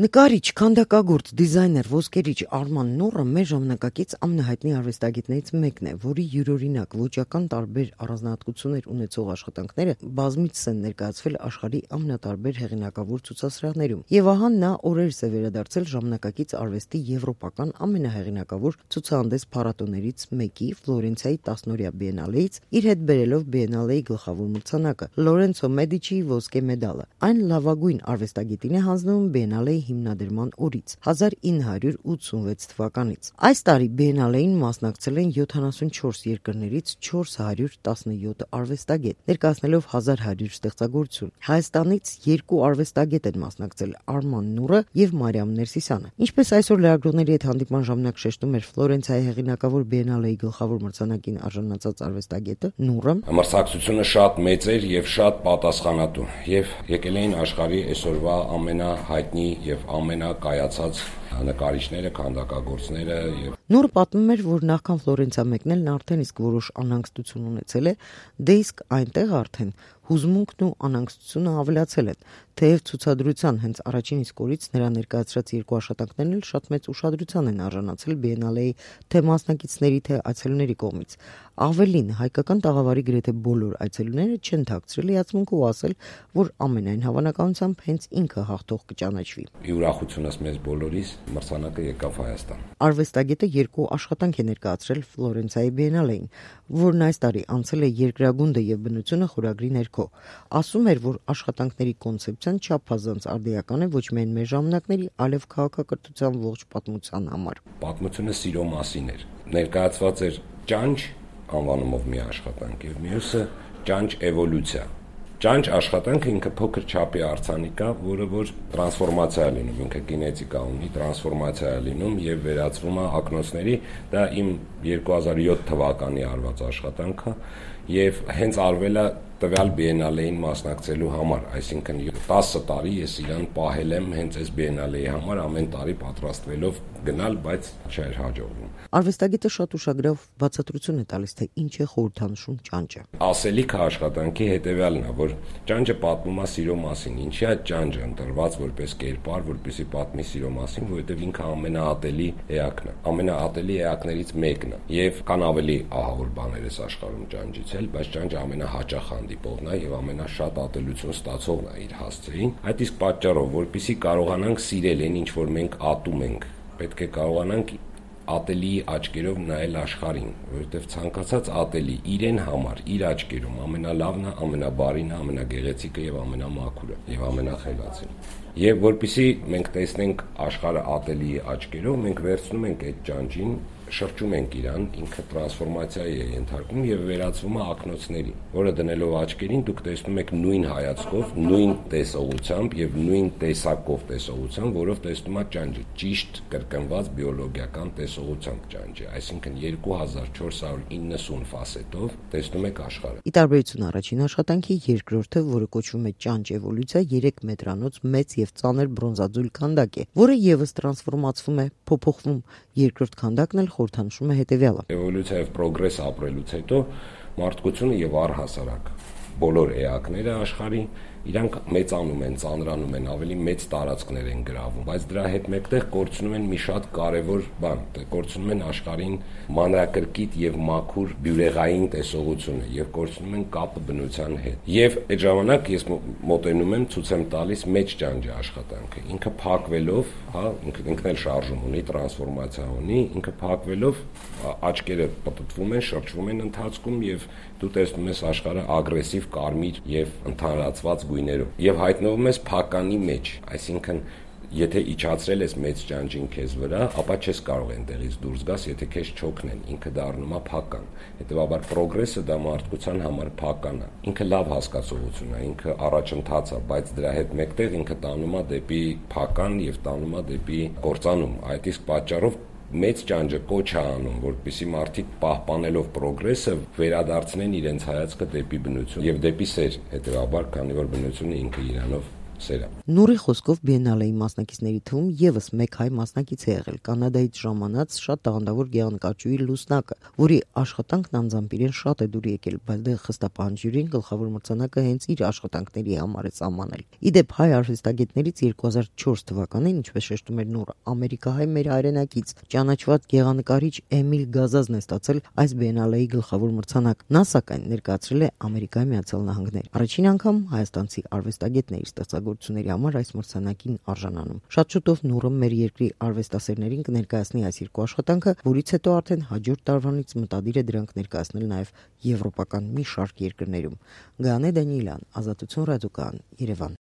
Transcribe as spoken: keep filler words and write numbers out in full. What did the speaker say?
Նկարիչ, քանդակագործ, դիզայներ, ոսկերիչ Արման Նուրը մեր ժամանակակից ամենահայտնի արվեստագետներից մեկն է, որի յուրօրինակ ոճական տարբեր առանձնահատկություններ ունեցող աշխատանքները բազմիցս են ներկայացվել աշխարհի ամենատարբեր հեղինակավոր ցուցասրահներում։ Եվ ահա նա օրերս է վերադարձել ժամանակակից արվեստի եվրոպական ամենահեղինակավոր ցուցահանդես փառատոներից մեկի Ֆլորենցիայի տասնօրյա բիենալեից, իր հետ բերելով բիենալեի գլխավոր մրցանակը՝ Լորենցո Մեդիչիի ոսկե մեդալը։ Այն լավագույն արվեստագետին է հանձնվում բիենալեի հիմնադրման օրից հազար ինը հարյուր ութսունվեց թվականից։ Այս տարի բիենալեին մասնակցել են յոթանասունչորս երկրներից չորս հարյուր տասնյոթ արվեստագետ, ներկայացնելով հազար հարյուր ստեղծագործություն։ Հայաստանից երկու արվեստագետ են մասնակցել՝ Արման Նուրը եւ Մարիամ Ներսիսյանը։ Ինչպես այսօր լրագրողների հետ հանդիպման ժամանակ շեշտում էր Ֆլորենցիայի հեղինակավոր բիենալեի գլխավոր մրցանակին արժանացած արվեստագետը Նուրը, մրցակցությունը շատ մեծ էր եւ շատ պատասխանատու, եւ եկել էին աշխարհի այսօրվա ամենահայտնի եւ ամենակայացած նկարիչները, քանդակագործները եւ Նուրը պատմում էր, որ նախքան Ֆլորենցիա մեկնելն արդեն իսկ որոշ անհանգստություն ունեցել է, դե իսկ այնտեղ արդեն հուզմունքն ու անհանգստությունը ավելացել են, թեև ցուցադրության հենց առաջին իսկ օրից նրա ներկայացրած երկու աշխատանքներն էլ շատ մեծ ուշադրության են արժանացել բիենալեի թե մասնակիցների, թե այցելուների կողմից։ Ավելին, հայկական տաղավարի գրեթե բոլոր այցելուները չեն թաքցրել հիացմունք ու ասել, որ ամենայն հավանականությամբ հենց ինքը հաղթող կճանաչվի։ Ուրախությունս մեզ բոլորիս, մրցանակը եկավ Հայաստան։ Արվեստագետը երկու աշխատանք է ներկայացրել Ֆլորենցիայի բիենալեին, որն այս տարի անցել է երկրագունդը եւ բնությունը խորագրի ներքո։ Ասում էր, որ աշխատանքների կոնցեպցիան չափազանց արդիական է ոչ միայն մեր ժամանակների, այլև քաղաքակրթության ողջ պատմության համար։ Պատմությունը սիրո մասին էր։ Ներկայացված էր ճանճ անվանումով մի աշխատանք եւ մյուսը ճանճ էվոլյուցիա։ Ճանճ աշխատանքը ինքը փոքր չափի արձանիկ է, որը որ տրանսֆորմացիա է լինում, ինքը գենետիկա ունի, տրանսֆորմացիա է լինում եւ վերածվում է ակնոցների։ Դա իմ երկու հազար յոթ թվականի արված աշխատանքը եւ հենց արվել է տվյալ բիենալեին մասնակցելու համար, այսինքն տասը տարի ես իրան պահել եմ հենց այս բիենալեի համար, ամեն տարի պատրաստվելով գնալ, բայց չէր հաջողվում։ Արվեստագետը շատ ուշագրավ բացատրություն է տալիս, թե ինչ է խորհրդանշում ճանճը։ Ասելիքը աշխատանքի հետևյալն է, որ ճանճը պատմում է սիրո մասին, ինչի է ճանճը ընտրված որպես կերպար, որպեսզի պատմի սիրո մասին, որովհետև ինքը ամենաատելի էակն է, ամենաատելի էակներից մեկն է, եւ կան ավելի ահավոր բաներ այս աշխարհում ճանճից էլ, բայց ճանճը ամենահաճախ հանդիպողն է եւ ամենաշատ ատելություն ստացողն է իր հասցեին։ Այդ իսկ պատճառով, որպեսզի կարողանանք սիրել այն, ինչ որ մենք ատում ենք, պետք է կարողանանք ատելի աչքերով նայել աշխարհին, որովհետև ցանկացած ատելի իրեն համար, իր աչքերում ամենալավն է, ամենաբարին է, ամենագեղեցիկը եւ ամենամաքուրը եւ ամենախելացին։ Եվ որpիսի մենք տեսնենք աշխարհը ատելի աչքերով, մենք վերցնում ենք այդ ճանճին, շրջում ենք իրան, ինքը տրանսֆորմացիայի է ենթարկվում եւ վերածվում է ակնոցների, որը դնելով աչքերին դուք տեսնում եք նույն հայացքով, նույն տեսողությամբ եւ նույն տեսակով տեսողությամբ, որով տեսնում եք ճանճը, ճիշտ կրկնված բիոլոգիական տեսողությամբ ճանճը, այսինքն երկու հազար չորս հարյուր իննսուն ֆասետով տեսնում եք աշխարհը։ Ի տարբերություն առաջին աշխատանքի, երկրորդը, որը կոչվում է ճանճ էվոլյուցիա, երեք մետրանոց մեծ եւ ծանր բրոնզաձուլ քանդակ է, որը եւս տրանսֆորմացվում է, փոփոխվում։ Երկրորդ քանդակն էլ խորհրդանշում է հետևյալը. Էվոլյուցիա եւ պրոգրես ապրելուց հետո մարդկությունը եւ առհասարակ բոլոր էակները աշխարհի իրանք մեծանում են, ծանրանում են, ավելի մեծ տարածքներ են գրավում, բայց դրա հետ մեկտեղ կորցնում են մի շատ կարևոր բան, կորցնում են աշխարհին մանրակրկիտ եւ մաքուր բյուրեղային տեսողությունը եւ կորցնում են կապը բնության հետ։ Եվ այդ ժամանակ ես մոտենում եմ, ցույց եմ տալիս մեծ ճանճի աշխատանքը։ Ինքը փակվելով, հա, ինքը ինքն էլ շարժում ունի, տրանսֆորմացիա ունի, ինքը փակվելով աչքերը պտտվում են, շրջվում են ընթացքում եւ դու տեսնում ես աշխարհը ագրեսիվ կարմիր եւ ընդհանրացված գույներով եւ հայտնվում ես փականի մեջ, այսինքն եթե իջացրել ես մեծ ճանճին քեզ վրա, ապա չես կարող այնտեղից դուրս գաս, եթե քեզ չօգնեն, ինքը դառնում է փական։ Հետևաբար պրոգրեսը դա մարդկության համար փական է։ Ինքը լավ հասկացողություն է, ինքը առաջընթաց է, բայց դրա հետ մեկտեղ ինքը տանում է դեպի փական եւ տանում է դեպի կործանում։ Այդ իսկ պատճառով մեծ ճանճը կոչ է անում, որպեսզի մարդիկ պահպանելով պրոգրեսը վերադարձնեն իրենց հայացքը դեպի բնություն եւ դեպի սեր, հետեւաբար, քանի որ բնությունը ինքը իրանով սերը։ Նուրի խոսքով Բիենալեի մասնակիցների թվում եւս մեկ հայ մասնակից է եղել Կանադայից ժամանած շատ տաղանդավոր գեղանկարչուհի Լուսնակը, որի աշխատանքն անձամբ իրեն շատ է դուր եկել, բայց դե խստապահանջ ժյուրին գլխավոր մրցանակը հենց իր աշխատանքների համար է սահմանել։ Իդեպ հայ արվեստագետներից երկու հազար չորս թվականին, ինչպես շեշտում էր Նուրը, ամերիկահայ մեր հայրենակից ճանաչված գեղանկարիչ Էմիլ Գազազն է ստացել այս Բիենալեի գլխավոր մրցանակ։ Նա սակայն ներկայացրել է Ամերիկայի Միացյալ Նահանգներ։ Առաջին անգամ հայաստանցի արվեստագետների ստեղծագործությունների համար այս մրցանակին արժանանում։ Շատ շուտով Նուրը մեր երկրի արվեստասերներին կներկայացնի այս երկու աշխատանքը, որից հետո արդեն հաջորդ տարվանից մտադիր է դրանք ներկայացնել նաև եվրոպական մի շարք երկրներում։ Գաներ Դանիելյան, Ազատություն ռադիոկայան, Երևան։